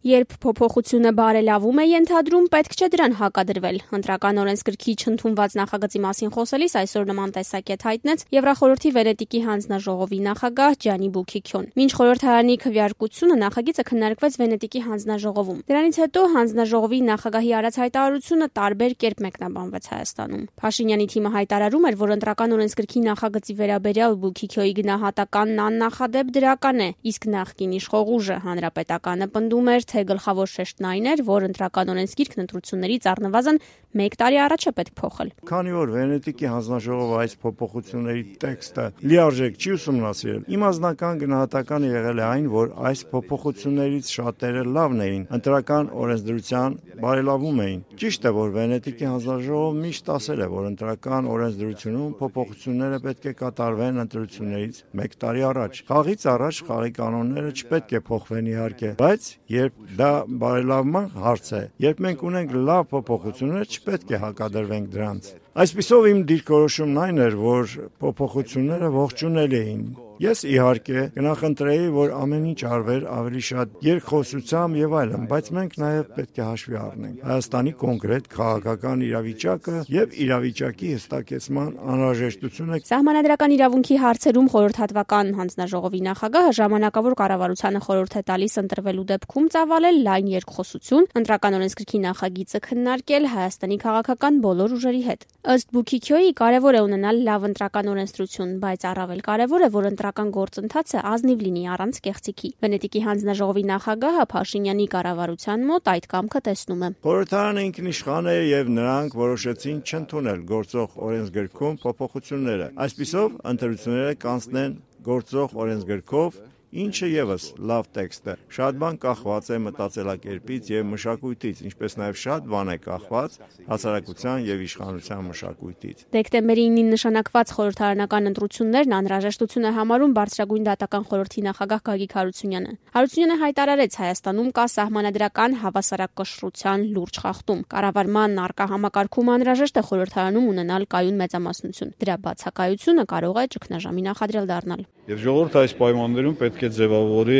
Երբ փոփոխությունը բարելավում է ենթադրում, պետք չէ դրան հակադրվել։ Ընտրական օրենսգրքի չընդունված նախագծի մասին խոսելիս այսօր նման տեսակետ հայտնեց Եվրախորհրդի Վենետիկի հանձնաժողովի նախագահ Ջանի Բուքիքյոն։ Մինչ խորհրդարանի քվեարկությունը նախագիծը քննարկվեց Վենետիկի հանձնաժողովում։ Դրանից հետո հանձնաժողովի նախագահի արած հայտարարությունը տարբեր կերպ մեկնաբանվեց Հայաստանում։ Փաշինյանի թիմը հայտարարում էր, որ ընտրական օրենսգրքի նախագծի վերաբերյալ Բուքիքյոյի գնահատականն աննախադեպ դրական է, իսկ նախկին իշխող ուժը Հանրապետականը պնդում էր, թե գլխավոր շեշտն այն էր, որ ընտրական օրենսգիրքն ընտրություններից առնվազն 1 տարի առաջ է պետք փոխել։ Քանի որ Վենետիկի հանձնաժողովը այս փոփոխությունների տեքստը լիարժեք չի ուսումնասիրել, իմ անձնական գնահատականը եղել է այն, որ այս փոփոխություններից շատերը լավն էին, ընտրական օրենսդրության բարելավում էին։ Ճիշտ է, որ Վենետիկի հանձնաժողովը միշտ ասել է, որ ընտրական օրենսդրությունում փոփոխությունները պետք է կատարվեն ընտրություններից 1 տարի առաջ։ Խաղից առաջ խաղի կանոնները չպետք է փոխվեն իհարկե, բայց երբ դա բարելավման հարց է, երբ մենք ունենք լավ փոփոխություններ, չպետք է հակադրվենք դրանց։ Այսպիսով իմ դիրքորոշումն այն էր, որ փոփոխությունները ողջունելի էին։ Ես իհարկե կնախընտրեի, որ ամեն ինչ արվեր ավելի շատ երկխոսությամբ եւ այլն, բայց մենք նաեւ պետք է հաշվի առնենք Հայաստանի կոնկրետ քաղաքական իրավիճակը եւ իրավիճակի հստակեցման անհրաժեշտությունը։ Սահմանադրական իրավունքի հարցերում խորհրդատվական հանձնաժողովի նախագահը ժամանակավոր կառավարությանը խորհուրդ է տալիս ընտրվելու դեպքում ծավալել լայն երկխոսություն, ընտրական օրենսգրքի նախագիծը քննարկել Հայաստանի քաղաքական բոլոր ուժերի հետ։ Ըստ Բուքիքյոյի կարևոր է ունենալ լավ ընտրական օրենսդրություն, բայց առավել կարևոր է, որ ընտրական գործընթացը ազնիվ լինի առանց կեղծիքի։ Վենետիկի հանձնաժողովի նախագահը Փաշինյանի կառավարության մոտ այդ կամքը տեսնում է։ Խորհրդարանը ինքնիշխան է եւ նրանք որոշեցին չընդունել գործող օրենսգրքում փոփոխությունները։ Այսպիսով ընտրությունները կանցնեն գործող օրենսգրքով, ինչը եւս լավ տեքստ է։ Շատ բան կախված է մտածելակերպից եւ մշակույթից, ինչպես նաեւ շատ բան է կախված հասարակության եւ իշխանության մշակույթից։ Դեկտեմբերի 9-ին նշանակված խորհրդարանական ընտրություններն անհրաժեշտություն է համարում բարձրագույն դատական խորհրդի նախագահ Գագիկ Հարությունյանը։ Հարությունյանը հայտարարեց, Հայաստանում կա սահմանադրական հավասարակշռության լուրջ խախտում։ Կառավարման առկա համակարգում անհրաժեշտ է խորհրդարանում ունենալ կայուն մեծամասնություն։ Դրա բացակայությունը կարող է ճգնաժամի նախադրյալ դառնալ։ Եվ ժողովուրդը այս պայմաններում պետք է ձևավորի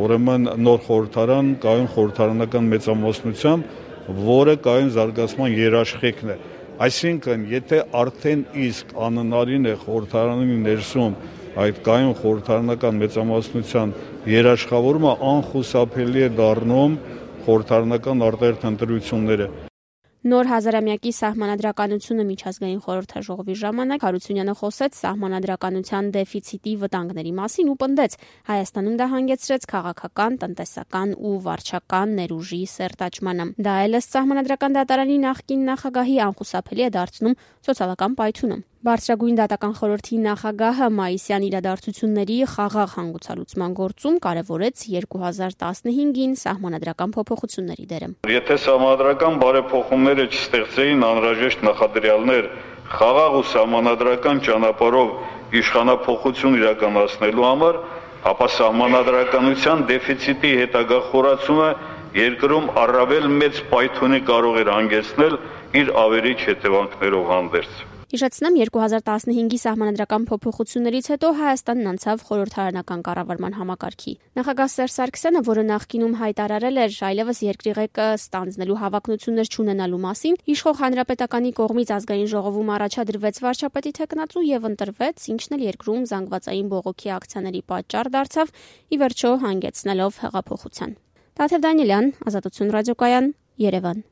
ուրեմն նոր խորհրդարան, կայուն խորհրդարանական մեծամասնությամբ, որը կայուն զարգացման երաշխիքն է։ Այսինքն, եթե արդեն իսկ անհնարին է խորհրդարանի ներսում այդ կայուն խորհրդարանական մեծամասնության երաշխավորումը, անխուսափելի է դառնում խորհրդարանական արտահերթ ընտրությունները։ Նոր հազարամյակի սահմանադրականությունը միջազգային խորհրդաժողովի ժամանակ Հարությունյանը խոսեց սահմանադրականության դեֆիցիտի վտանգների մասին ու պնդեց, Հայաստանում դա հանգեցրեց քաղաքական, տնտեսական ու վարչական ներուժի սերտաճմանը։ Դա էլ ըստ սահմանադրական դատարանի նախկին նախագահի անխուսափելի է դարձնում սոցիալական պայթյունը։ Բարձրագույն դատական խորհրդի նախագահը մայիսյան իրադարձությունների խաղաղ հանգուցալուծման գործում կարևորեց 2015-ին սահմանադրական փոփոխությունների դերը։ Եթե սահմանադրական բարեփոխումները չստեղծեին անհրաժեշտ նախադրյալներ խաղաղ ու սահմանադրական ճանապարհով իշխանափոխություն իրականացնելու համար, ապա սահմանադրականության դեֆիցիտի հետագա խորացումը երկրում առավել մեծ պայթյունի կարող էր հանգեցնել իր ավերիչ հետևանքներով հանդերձ։ Հիշեցնեմ, 2015-ի սահմանադրական փոփոխություններից հետո Հայաստանն անցավ խորհրդարանական կառավարման համակարգի։ Նախագահ Սերժ Սարգսյանը, որը նախկինում հայտարարել էր այլևս երկրի ղեկը ստանձնելու հավակնություններ չունենալու մասին, իշխող Հանրապետականի կողմից ազգային ժողովում առաջադրվեց վարչապետի թեկնածու եւ ընտրվեց, ինչն էլ երկրում զանգվածային բողոքի ակցիաների պատճառ դարձավ, ի վերջո հանգեցնելով հեղափոխության։ Տաթև Դանիելյան, Ազատություն ռադիոկայան, Երևան։